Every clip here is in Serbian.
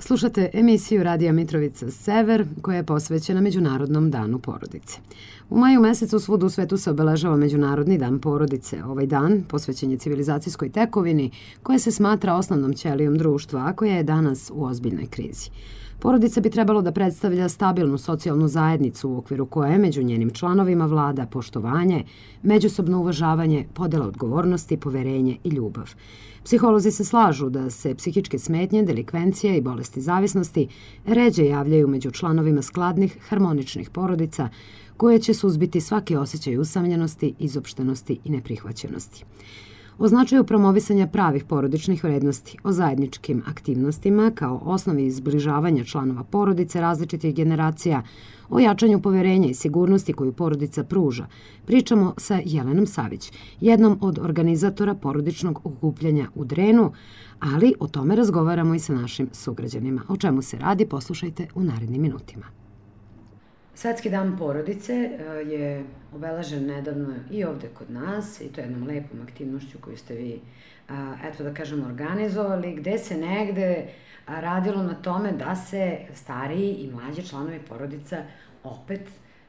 Slušate emisiju Radija Mitrovica Sever koja je posvećena Međunarodnom danu porodice. U maju mesecu svuda u svetu se obeležava Međunarodni dan porodice. Ovaj dan posvećen je civilizacijskoj tekovini koja se smatra osnovnom ćelijom društva, a koja je danas u ozbiljnoj krizi. Porodica bi trebalo da predstavlja stabilnu socijalnu zajednicu u okviru koje među njenim članovima vlada poštovanje, međusobno uvažavanje, podela odgovornosti, poverenje i ljubav. Psiholozi se slažu da se psihičke smetnje, delikvencija i bolesti zavisnosti ređe javljaju među članovima skladnih, harmoničnih porodica koje će suzbiti svaki osjećaj usamljenosti, izopštenosti i neprihvaćenosti. O značaju promovisanja pravih porodičnih vrednosti, o zajedničkim aktivnostima kao osnovi izbližavanja članova porodice različitih generacija, o jačanju poverenja i sigurnosti koju porodica pruža, pričamo sa Jelenom Savić, jednom od organizatora porodičnog okupljanja u Drenu, ali o tome razgovaramo i sa našim sugrađanima. O čemu se radi, poslušajte u narednim minutima. Svetski dan porodice je obeležen nedavno i ovde kod nas, i to je jednom lepom aktivnošću koju ste vi, eto da kažem, organizovali, gde se negde radilo na tome da se stariji i mlađi članovi porodica opet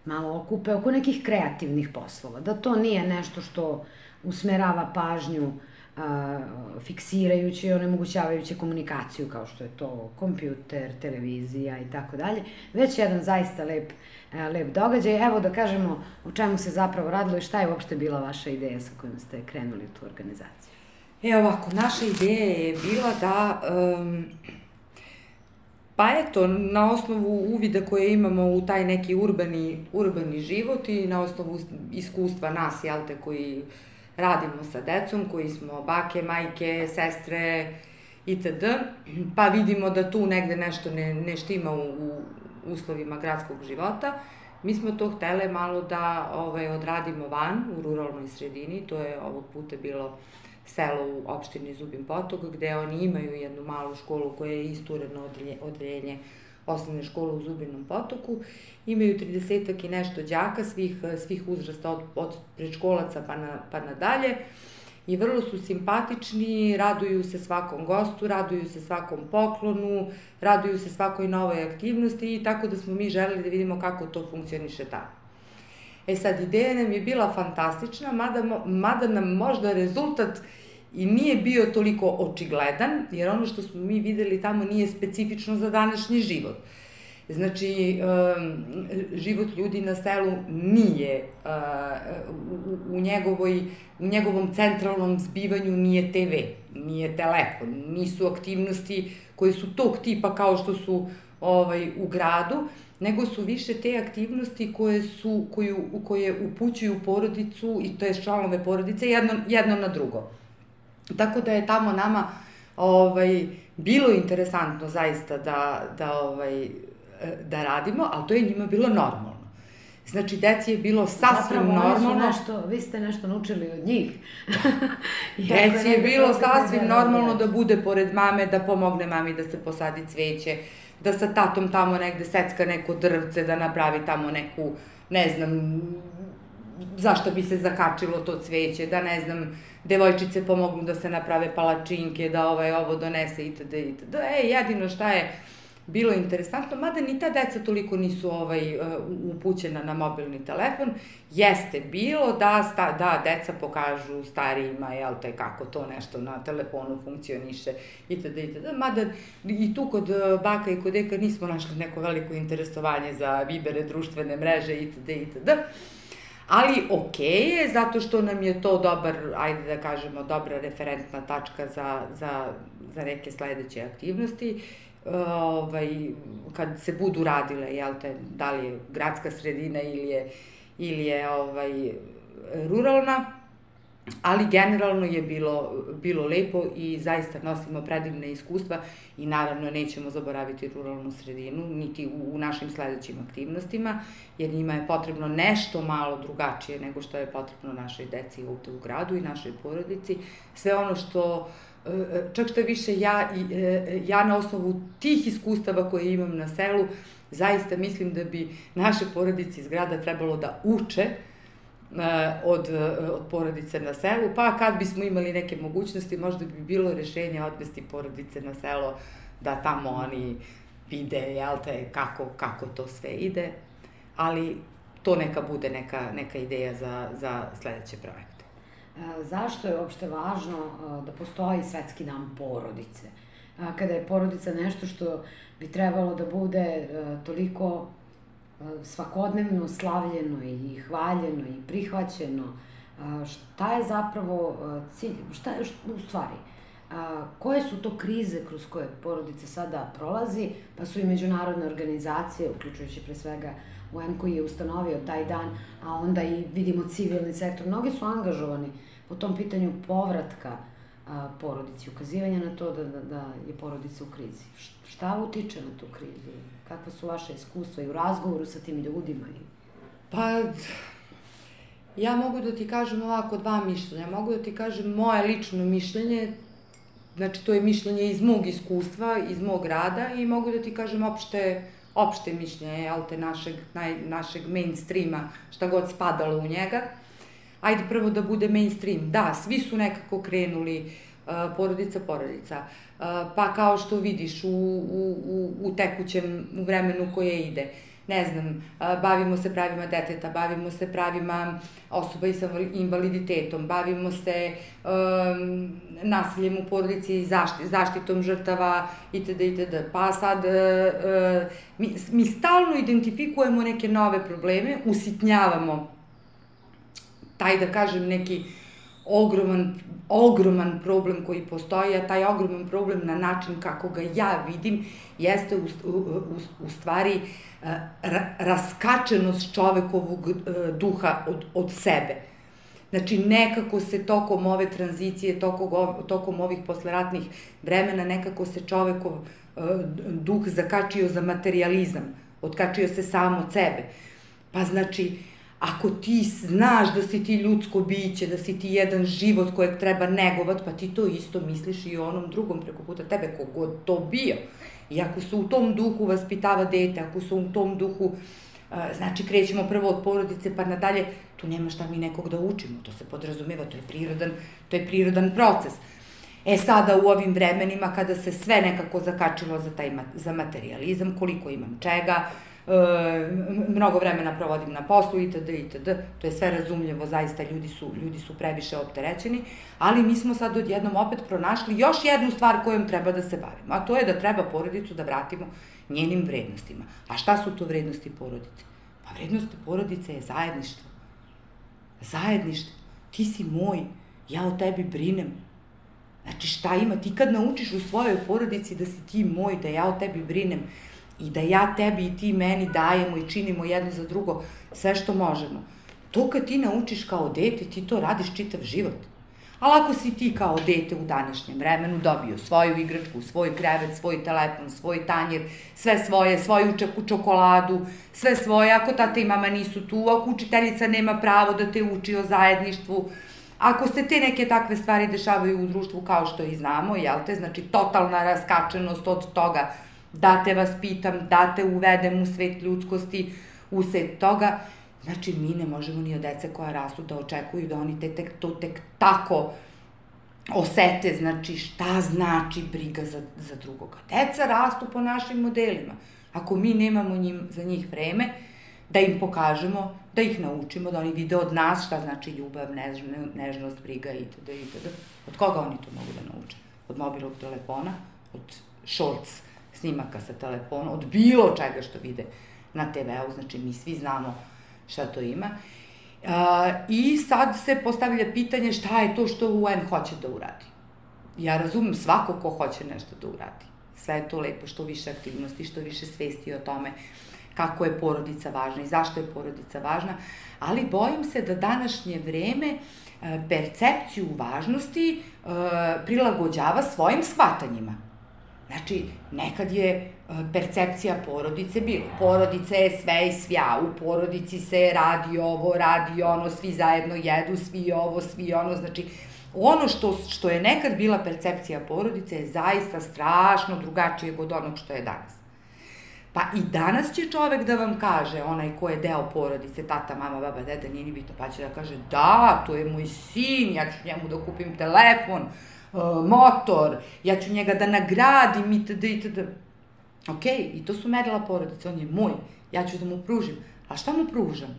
malo okupe oko nekih kreativnih poslova. Da to nije nešto što usmerava pažnju fiksirajući i onemogućavajući komunikaciju kao što je to kompjuter, televizija i tako dalje, već jedan zaista lep događaj. Evo da kažemo o čemu se zapravo radilo i šta je uopšte bila vaša ideja sa kojom ste krenuli tu organizaciju. Ovako, naša ideja je bila da, pa eto, na osnovu uvida koje imamo u taj neki urbani život i na osnovu iskustva nas, koji radimo sa decom, koji smo bake, majke, sestre itd. Pa vidimo da tu negde nešto ne štima u uslovima gradskog života. Mi smo to htele malo da odradimo van, u ruralnoj sredini. To je ovog puta bilo selo u opštini Zubin Potok, gde oni imaju jednu malu školu koja je istureno odeljenje osnovne škole u Zubinom Potoku. Imaju 30-ak i nešto đaka svih uzrasta od predškolaca pa nadalje i vrlo su simpatični, raduju se svakom gostu, raduju se svakom poklonu, raduju se svakoj novoj aktivnosti i tako da smo mi želeli da vidimo kako to funkcioniše tamo. Sad, ideja nam je bila fantastična, mada nam možda rezultat i nije bio toliko očigledan, jer ono što smo mi videli tamo nije specifično za današnji život. Znači, život ljudi na selu nije, u njegovom centralnom zbivanju nije TV, nije telefon, nisu aktivnosti koje su tog tipa kao što su u gradu, nego su više te aktivnosti koje upućuju porodicu i to je članove porodice jedno na drugo. Tako da je tamo nama bilo interesantno zaista da radimo, ali to je njima bilo normalno. Znači, deci je bilo sasvim normalno. Vi ste nešto naučili od njih. Deci je bilo sasvim normalno da bude pored mame, da pomogne mami da se posadi cveće, da sa tatom tamo negde secka neko drvce, da napravi tamo neku, ne znam, zašto bi se zakačilo to cveće, da ne znam, devojčice pomognu da se naprave palačinke, da ovo donese itd. Jedino šta je bilo interesantno, mada ni ta deca toliko nisu upućena na mobilni telefon, jeste bilo da deca pokažu starijima, kako to nešto na telefonu funkcioniše itd. Mada i tu kod baka i kod deka nismo našli neko veliko interesovanje za Vibere, društvene mreže itd. Ali okej je, zato što nam je to dobra referentna tačka za neke sledeće aktivnosti. Kad se budu radile, da li je gradska sredina ili je ruralna, ali generalno je bilo lepo i zaista nosimo predivne iskustva i naravno nećemo zaboraviti ruralnu sredinu, niti u našim sledećim aktivnostima, jer njima je potrebno nešto malo drugačije nego što je potrebno našoj deci ovde u gradu i našoj porodici. Sve ono što čak što više ja na osnovu tih iskustava koje imam na selu, zaista mislim da bi naše porodice iz grada trebalo da uče od porodice na selu, pa kad bismo imali neke mogućnosti, možda bi bilo rešenje odvesti porodice na selo da tamo oni vide, jel te, kako to sve ide, ali to neka bude neka ideja za sledeće projekte. Zašto je uopšte važno da postoji Svetski dan porodice? Kada je porodica nešto što bi trebalo da bude toliko svakodnevno slavljeno i hvaljeno i prihvaćeno, šta je zapravo cilj, u stvari, koje su to krize kroz koje porodica sada prolazi, pa su i međunarodne organizacije, uključujući pre svega UN koji je ustanovio taj dan, a onda i vidimo civilni sektor, mnogi su angažovani po tom pitanju povratka porodici, ukazivanja na to da je porodica u krizi. Šta utiče na tu krizu? Kakva su vaše iskustva i u razgovoru sa tim ljudima? Pa, ja mogu da ti kažem ovako dva mišljenja. Mogu da ti kažem moje lično mišljenje, znači to je mišljenje iz mog iskustva, iz mog rada i mogu da ti kažem opšte mišljenje, jel te, našeg mainstreama, šta god spadalo u njega. Ajde prvo da bude mainstream. Da, svi su nekako krenuli porodica, pa kao što vidiš u tekućem vremenu koje ide, ne znam, bavimo se pravima deteta, bavimo se pravima osoba sa invaliditetom, bavimo se nasiljem u porodici i zaštitom žrtava itd. Pa sad mi stalno identifikujemo neke nove probleme, usitnjavamo taj, da kažem, neki ogroman problem koji postoji, a taj ogroman problem na način kako ga ja vidim jeste u stvari raskačenost čovekovog duha od sebe. Znači, nekako se tokom ove tranzicije, tokom ovih posleratnih vremena, nekako se čovekov duh zakačio za materijalizam, otkačio se sam od sebe. Pa znači, ako ti znaš da si ti ljudsko biće, da si ti jedan život kojeg treba negovat, pa ti to isto misliš i o onom drugom preko puta tebe, kogod to bio. I ako se u tom duhu vaspitava dete, ako se u tom duhu, znači krećemo prvo od porodice pa nadalje, tu nema šta mi nekog da učimo, to se podrazumeva, to je prirodan proces. Sada u ovim vremenima kada se sve nekako zakačilo za materijalizam, koliko imam čega, mnogo vremena provodim na poslu itd. To je sve razumljivo, zaista ljudi su previše opterećeni, ali mi smo sad odjednom opet pronašli još jednu stvar kojom treba da se bavimo, a to je da treba porodicu da vratimo njenim vrednostima. A šta su to vrednosti porodice? Pa vrednosti porodice je zajedništvo. Zajedništvo. Ti si moj, ja o tebi brinem. Znači šta ima? Ti kad naučiš u svojoj porodici da si ti moj, da ja o tebi brinem, i da ja tebi i ti meni dajemo i činimo jedno za drugo sve što možemo. To kad ti naučiš kao dete, ti to radiš čitav život. Ali ako si ti kao dete u današnjem vremenu dobio svoju igračku, svoj krevet, svoj telefon, svoj tanjir, sve svoje, svoju čokoladu, sve svoje, ako tata i mama nisu tu, ako učiteljica nema pravo da te uči o zajedništvu, ako se te neke takve stvari dešavaju u društvu kao što i znamo, jel te, znači totalna raskačenost od toga da te vaspitam, da te uvedem u svet ljudskosti, u svet toga, znači mi ne možemo ni od dece koja rastu da očekuju da oni to tek tako osete, znači šta znači briga za drugoga. Deca rastu po našim modelima. Ako mi nemamo za njih vreme, da im pokažemo, da ih naučimo, da oni vide od nas šta znači ljubav, nežnost, briga itd. Od koga oni to mogu da nauče? Od mobilnog telefona, od shorts snimaka sa telefona, od bilo čega što vide na TV-u, znači mi svi znamo šta to ima. I sad se postavlja pitanje šta je to što UN hoće da uradi. Ja razumem svako ko hoće nešto da uradi. Sve je to lepo, što više aktivnosti, što više svesti o tome kako je porodica važna i zašto je porodica važna, ali bojim se da današnje vreme percepciju važnosti prilagođava svojim shvatanjima. Znači, nekad je percepcija porodice bilo. Porodica je sve i svja, u porodici se radi ovo, radi ono, svi zajedno jedu, svi ovo, svi ono, znači, ono što je nekad bila percepcija porodice je zaista strašno drugačije od onog što je danas. Pa i danas će čovek da vam kaže, onaj ko je deo porodice, tata, mama, baba, deda, nije ni bitno, pa će da kaže, da, to je moj sin, ja ću njemu da kupim telefon, motor, ja ću njega da nagradim itd. Ok, i to su merila porodice, on je moj, ja ću da mu pružim. A šta mu pružam?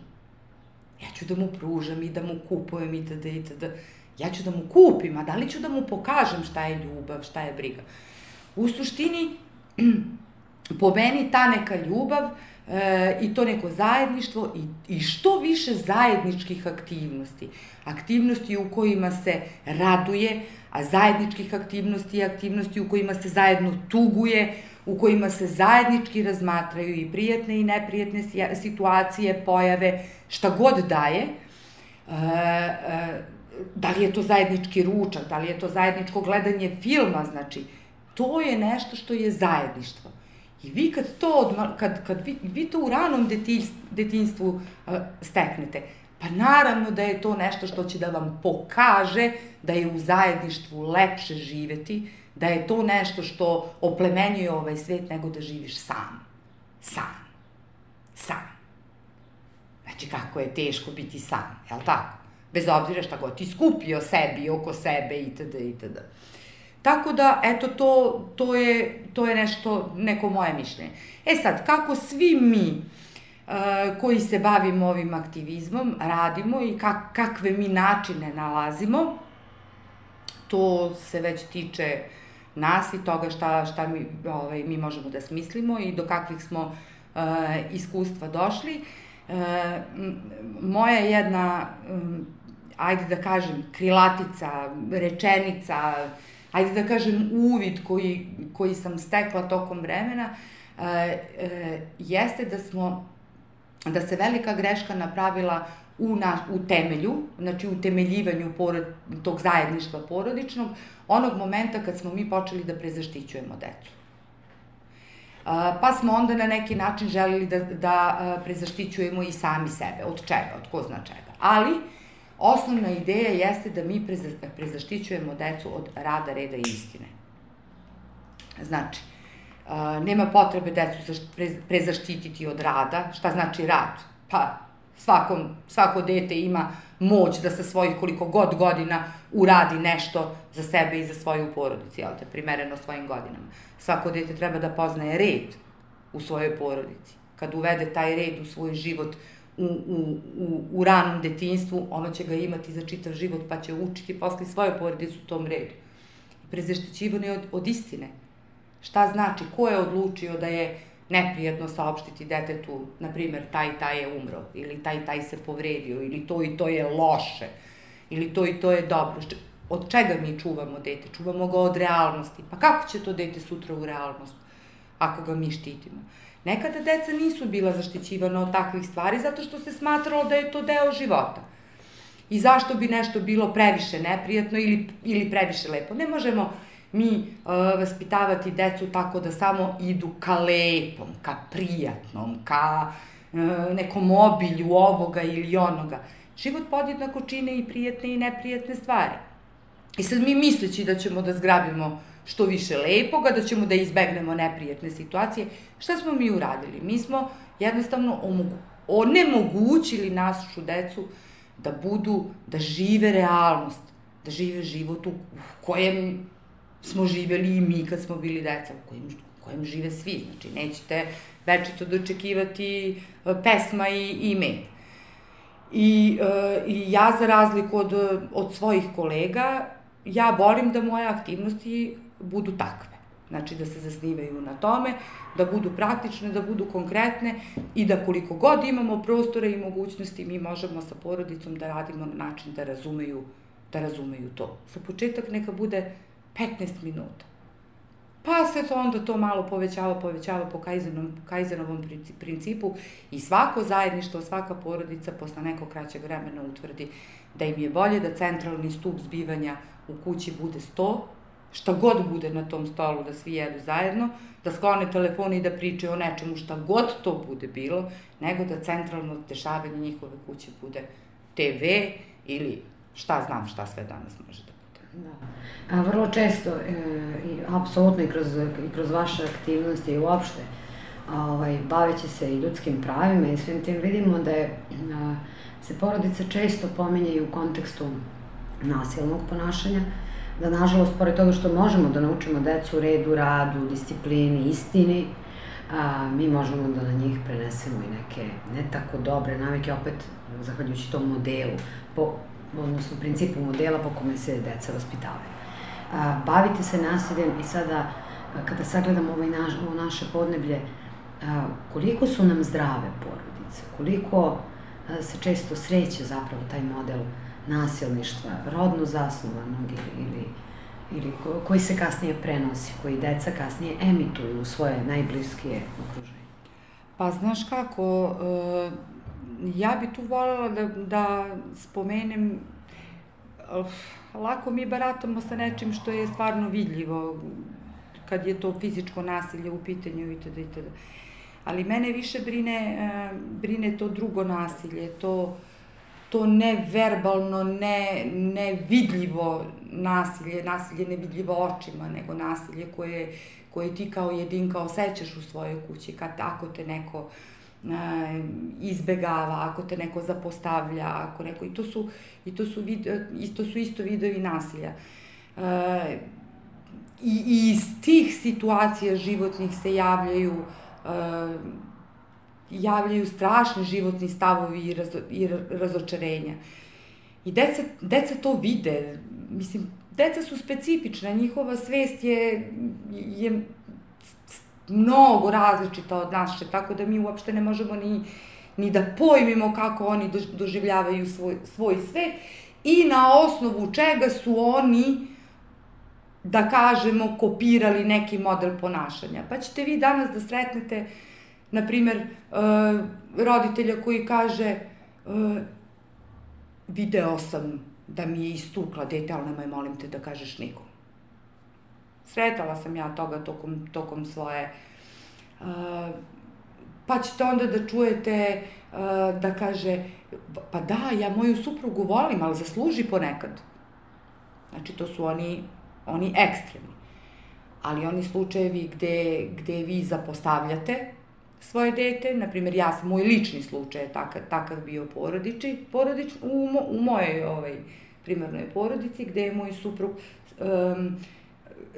Ja ću da mu pružam i da mu kupujem itd. Ja ću da mu kupim, a da li ću da mu pokažem šta je ljubav, šta je briga. U suštini, po meni ta neka ljubav i to neko zajedništvo i što više zajedničkih aktivnosti. Aktivnosti u kojima se raduje, a zajedničkih aktivnosti i aktivnosti u kojima se zajedno tuguje, u kojima se zajednički razmatraju i prijatne i neprijatne situacije, pojave, šta god daje. Da li je to zajednički ručak, da li je to zajedničko gledanje filma, znači, to je nešto što je zajedništvo. I vi kad vi to u ranom detinjstvu steknete, pa naravno da je to nešto što će da vam pokaže da je u zajedništvu lepše živeti, da je to nešto što oplemenjuje ovaj svet nego da živiš sam. Znači, kako je teško biti sam, jel tako? Bez obzira šta god ti skupio sebi, oko sebe, itd. Tako da, eto, to je nešto, neko moje mišljenje. Sad, kako svi mi koji se bavimo ovim aktivizmom radimo i kakve mi načine nalazimo, to se već tiče nas i toga šta mi možemo da smislimo i do kakvih smo iskustva došli. Moja jedna, ajde da kažem, krilatica, rečenica, ajde da kažem uvid koji sam stekla tokom vremena, jeste da se velika greška napravila u temelju, znači u temeljivanju tog zajedništva porodičnog, onog momenta kad smo mi počeli da prezaštićujemo decu. Pa smo onda na neki način želeli da prezaštićujemo i sami sebe. Od čega? Od ko zna čega. Ali, osnovna ideja jeste da mi prezaštićujemo decu od rada, reda i istine. Znači, nema potrebe decu prezaštititi od rada. Šta znači rad? Pa, svako dete ima moć da sa svojih koliko god godina uradi nešto za sebe i za svoju porodicu, jel te, primereno svojim godinama. Svako dete treba da poznaje red u svojoj porodici. Kad uvede taj red u svoj život u ranom detinjstvu, ono će ga imati za čitav život, pa će učiti posle svoje porodice u tom redu. Prezaštićivanje od istine. Šta znači? Ko je odlučio da je neprijatno saopštiti detetu, na primer, taj i taj je umro, ili taj i taj se povredio, ili to i to je loše, ili to i to je dobro. Od čega mi čuvamo dete? Čuvamo ga od realnosti. Pa kako će to dete sutra u realnost, ako ga mi štitimo? Nekada deca nisu bila zaštićivana od takvih stvari, zato što se smatralo da je to deo života. I zašto bi nešto bilo previše neprijatno ili previše lepo? Ne možemo mi vaspitavati decu tako da samo idu ka lepom, ka prijatnom, ka nekom obilju ovoga ili onoga. Život podjednako čine i prijatne i neprijatne stvari. I sad mi misleći da ćemo da zgrabimo što više lepoga, da ćemo da izbegnemo neprijatne situacije, šta smo mi uradili? Mi smo jednostavno onemogućili našu decu da žive realnost, da žive život u kojem smo živeli i mi kad smo bili deca, u kojem žive svi. Znači, nećete večito dočekivati pesma i med. I ja, za razliku od svojih kolega, ja volim da moje aktivnosti budu takve. Znači, da se zasnivaju na tome, da budu praktične, da budu konkretne i da koliko god imamo prostora i mogućnosti, mi možemo sa porodicom da radimo na način da razumeju to. Za početak neka bude 15 minuta. Pa se onda to malo povećava po Kajzenovom principu i svako zajedništvo, svaka porodica posle nekog kraćeg vremena utvrdi da im je bolje da centralni stup zbivanja u kući bude sto, šta god bude na tom stolu, da svi jedu zajedno, da sklone telefone i da pričaju o nečemu šta god to bude bilo, nego da centralno dešavanje njihove kuće bude TV ili šta sve danas može da bude. Da. Vrlo često, apsolutno i kroz vaše aktivnosti i uopšte, baveći se i ljudskim pravima i svim tim, vidimo da se porodica često pominje i u kontekstu nasilnog ponašanja, da nažalost, pored toga što možemo da naučimo decu redu, radu, disciplini, istini, mi možemo da na njih prenesemo i neke ne tako dobre navike, opet zahvaljujući tom modelu, odnosno principu modela po kome se deca vaspitavaju. Baviti se nasiljem i sada, kada sagledamo ovo naše podneblje, koliko su nam zdrave porodice, koliko se često sreće zapravo taj model nasilništva, rodno zasnovanog ili koji se kasnije prenosi, koji deca kasnije emituju u svoje najbliskije okruženje. Pa znaš kako, ja bi tu voljela da spomenem, lako mi baratamo sa nečim što je stvarno vidljivo, kad je to fizičko nasilje u pitanju itd. Ali mene više brine to drugo nasilje, to neverbalno, nevidljivo nasilje nevidljivo očima, nego nasilje koje ti kao jedinka osjećaš u svojoj kući, ako te neko izbegava, ako te neko zapostavlja, ako neko, i to su isto vidovi nasilja. I iz tih situacija životnih se javljaju strašni životni stavovi i razočarenja. I deca to vide. Mislim, deca su specifična, njihova svest je mnogo različita od naše, tako da mi uopšte ne možemo ni da pojmimo kako oni doživljavaju svoj svet i na osnovu čega su oni, da kažemo, kopirali neki model ponašanja. Pa ćete vi danas da sretnete, na primer, roditelja koji kaže video sam da mi je istukla dete, ali nemoj, molim te, da kažeš nikom. Sretala sam ja toga tokom svoje. Pa ćete onda da čujete da kaže, pa da, ja moju suprugu volim, ali zasluži ponekad. Znači, to su oni ekstremni. Ali oni slučajevi gde vi zapostavljate svoje dete, na primjer, moj lični slučaj je takav bio u mojoj primarnoj porodici, gde je moj suprug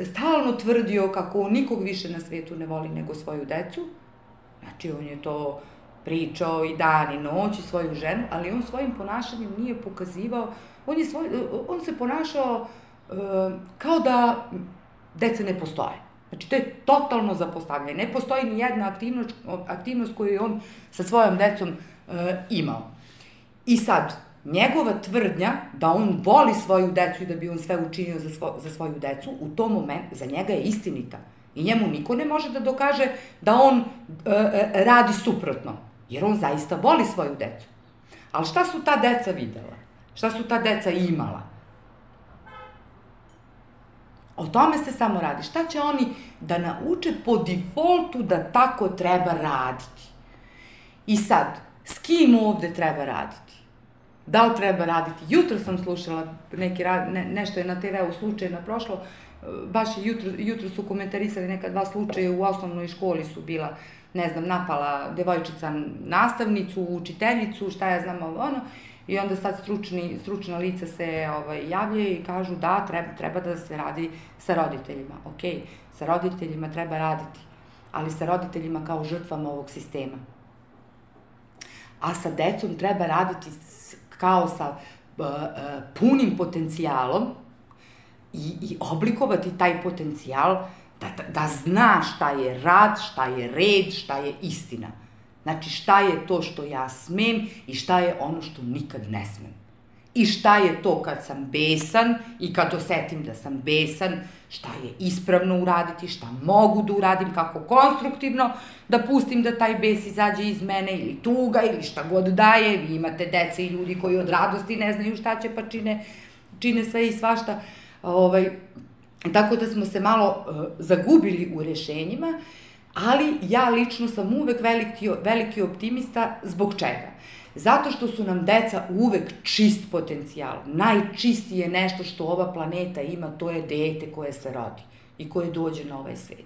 stalno tvrdio kako on nikog više na svetu ne voli nego svoju decu. Znači, on je to pričao i dan i noć i svoju ženu, ali on svojim ponašanjem nije pokazivao, on se ponašao kao da deca ne postoje. Znači, to je totalno zapostavljanje. Ne postoji ni jedna aktivnost koju je on sa svojom decom imao. I sad, njegova tvrdnja da on voli svoju decu i da bi on sve učinio za svoju decu, u tom momentu za njega je istinita. I njemu niko ne može da dokaže da on radi suprotno, jer on zaista voli svoju decu. Ali šta su ta deca videla? Šta su ta deca imala? O tome se samo radi. Šta će oni da nauče po defaultu da tako treba raditi? I sad, s kim ovde treba raditi? Da li treba raditi? Jutro sam slušala, nešto je na TV-u slučajno prošlo, baš jutro su komentarisali neka 2 slučaja u osnovnoj školi su bila, ne znam, napala devojčica nastavnicu, učiteljicu, šta ja znam, i onda sad stručna lica se javljaju i kažu da, treba da se radi sa roditeljima. Okej, sa roditeljima treba raditi, ali sa roditeljima kao žrtvama ovog sistema. A sa decom treba raditi kao sa punim potencijalom i oblikovati taj potencijal da zna šta je rad, šta je red, šta je istina. Znači, šta je to što ja smem i šta je ono što nikad ne smem. I šta je to kad sam besan i kad osetim da sam besan, šta je ispravno uraditi, šta mogu da uradim, kako konstruktivno da pustim da taj bes izađe iz mene ili tuga ili šta god daje. Vi imate dece i ljudi koji od radosti ne znaju šta će pa čine sve i svašta. Tako da smo se malo zagubili u rešenjima, ali ja lično sam uvek veliki optimista. Zbog čega? Zato što su nam deca uvek čist potencijal. Najčistije nešto što ova planeta ima, to je dete koje se rodi i koje dođe na ovaj svet.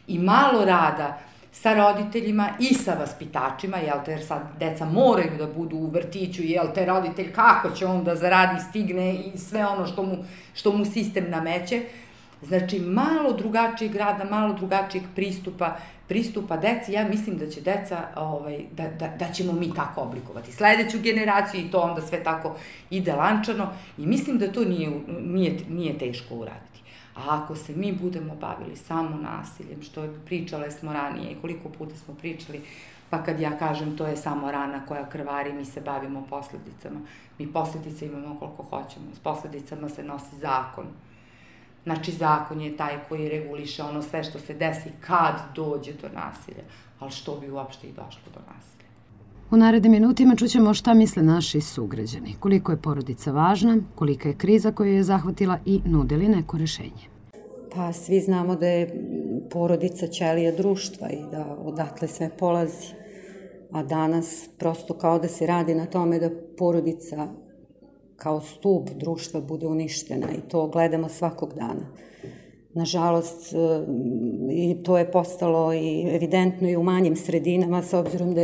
I malo rada sa roditeljima i sa vaspitačima, jel te, jer sad deca moraju da budu u vrtiću, jel te, roditelj kako će on da zaradi, stigne i sve ono što mu sistem nameće. Znači, malo drugačijeg rada, malo drugačijeg pristupa deci. Ja mislim da će deca, da ćemo mi tako oblikovati sledeću generaciju i to onda sve tako ide lančano i mislim da to nije teško uraditi. A ako se mi budemo bavili samo nasiljem, što pričale smo ranije i koliko puta smo pričali, pa kad ja kažem to je samo rana koja krvari, mi se bavimo posledicama. Mi posledice imamo koliko hoćemo, s posledicama se nosi zakon. Znači, zakon je taj koji reguliše ono sve što se desi kad dođe do nasilja, ali što bi uopšte i došlo do nasilja. U narednim minutima čućemo šta misle naši sugrađani, koliko je porodica važna, kolika je kriza koju je zahvatila i nudili neko rešenje. Pa svi znamo da je porodica ćelija društva i da odatle sve polazi. A danas prosto kao da se radi na tome da porodica kao stub društva bude uništena i to gledamo svakog dana. Nažalost, i to je postalo i evidentno i u manjim sredinama, s obzirom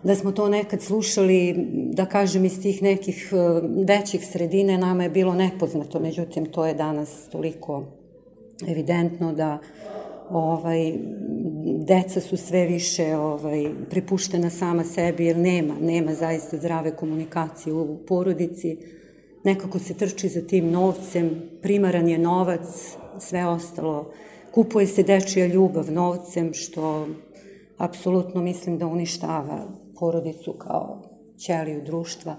da smo to nekad slušali, da kažem, iz tih nekih većih sredine, nama je bilo nepoznato, međutim, to je danas toliko evidentno da deca su sve više prepuštena sama sebi, jer nema zaista zdrave komunikacije u porodici. Nekako se trči za tim novcem, primaran je novac, sve ostalo. Kupuje se dečija ljubav novcem, što apsolutno mislim da uništava porodicu kao ćeliju društva.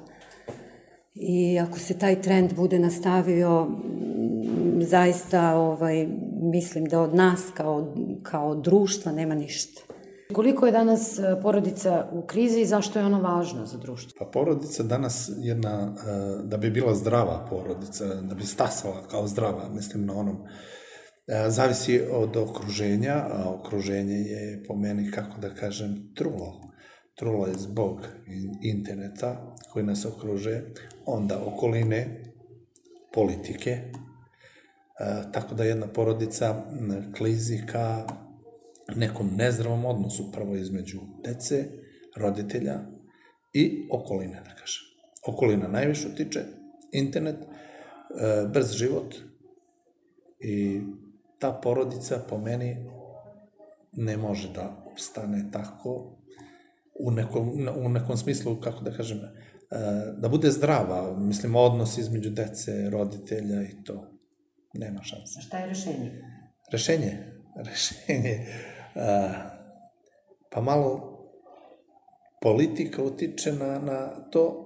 I ako se taj trend bude nastavio, zaista mislim da od nas kao društva nema ništa. Koliko je danas porodica u krizi i zašto je ona važna za društvo? Pa porodica danas jedna, da bi bila zdrava porodica, da bi stasala kao zdrava, mislim na onom, zavisi od okruženja, a okruženje je po meni, kako da kažem, trulo. Trulo je zbog interneta koji nas okruže, onda okoline, politike, tako da jedna porodica klizi ka nekom nezdravom odnosu prvo između dece, roditelja i okoline, da kažem. Okolina najviše utiče, internet, brz život i ta porodica po meni ne može da opstane tako u nekom smislu, kako da kažem, da bude zdrava, mislim, odnos između dece, roditelja i to. Nema šanse. A šta je rešenje? Rešenje, pa malo politika utiče na to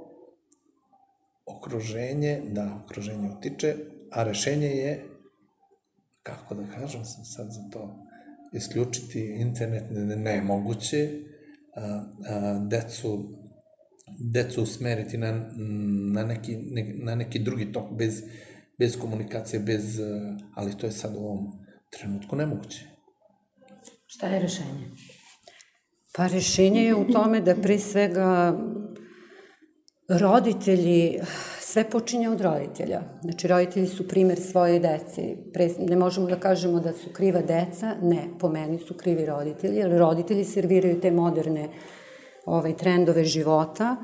okruženje, okruženje utiče, a rešenje je, kako da kažem sam sad za to, isključiti internet nemoguće, decu usmeriti na neki drugi tok, bez komunikacije, ali to je sad u ovom trenutku nemoguće. Šta je rešenje? Pa rešenje je u tome da pre svega roditelji, sve počinje od roditelja. Znači, roditelji su primer svoje dece. Ne možemo da kažemo da su kriva deca, ne, po meni su krivi roditelji, jer roditelji serviraju te moderne trendove života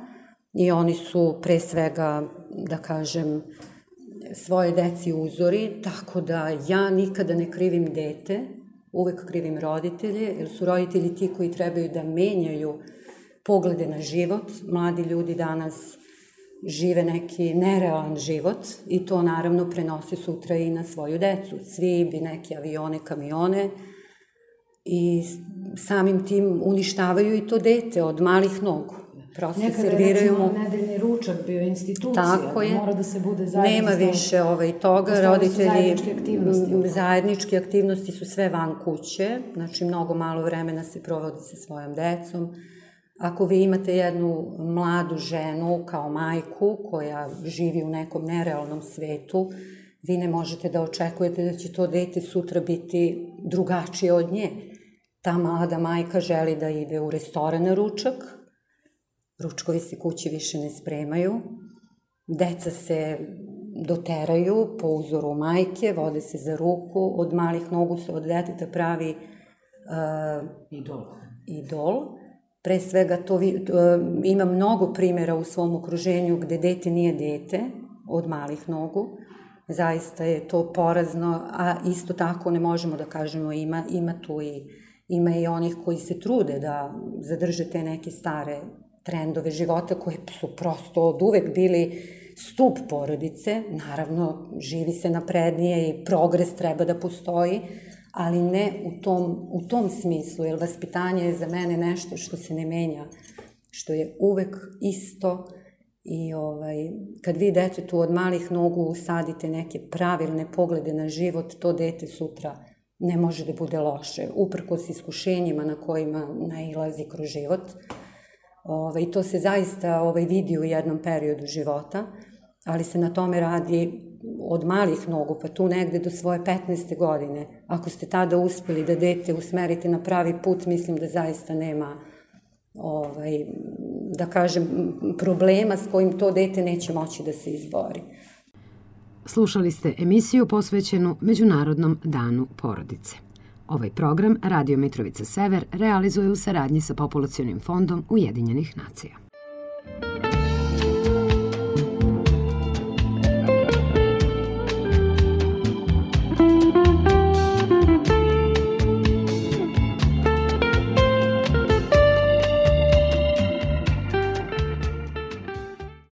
i oni su pre svega, da kažem, svoje deci uzori, tako da ja nikada ne krivim dete, uvek krivim roditelje, jer su roditelji ti koji trebaju da menjaju poglede na život. Mladi ljudi danas žive neki nerealan život i to naravno prenosi sutra i na svoju decu. Svi bi neke avione, kamione i samim tim uništavaju i to dete od malih nogu. Nekada je recimo nedeljni ručak bio institucija, mora da se bude zajedno. Nema više toga, roditelji, zajedničke aktivnosti su sve van kuće, znači mnogo malo vremena se provodi sa svojom decom. Ako vi imate jednu mladu ženu kao majku koja živi u nekom nerealnom svetu, vi ne možete da očekujete da će to dete sutra biti drugačije od nje. Ta mlada majka želi da ide u restoran na ručak, ručkovi se kući više ne spremaju, deca se doteraju po uzoru majke, vode se za ruku, od malih nogu se od deteta pravi idol. Pre svega ima mnogo primjera u svom okruženju gde dete nije dete od malih nogu. Zaista je to porazno, a isto tako ne možemo da kažemo ima i onih koji se trude da zadrže te neke stare trendove života koji su prosto od uvek bili stup porodice. Naravno, živi se naprednije i progres treba da postoji, ali ne u tom smislu, jer vaspitanje je za mene nešto što se ne menja, što je uvek isto. I kad vi detetu od malih nogu usadite neke pravilne poglede na život, to dete sutra ne može da bude loše, uprkos iskušenjima na kojima nailazi kroz život. I to se zaista vidi u jednom periodu života, ali se na tome radi od malih nogu, pa tu negde do svoje 15. godine. Ako ste tada uspeli da dete usmerite na pravi put, mislim da zaista nema da kažem, problema s kojim to dete neće moći da se izbori. Slušali ste emisiju posvećenu Međunarodnom danu porodice. Ovaj program Radio Mitrovica Sever realizuje u saradnji sa Populacionim fondom Ujedinjenih nacija.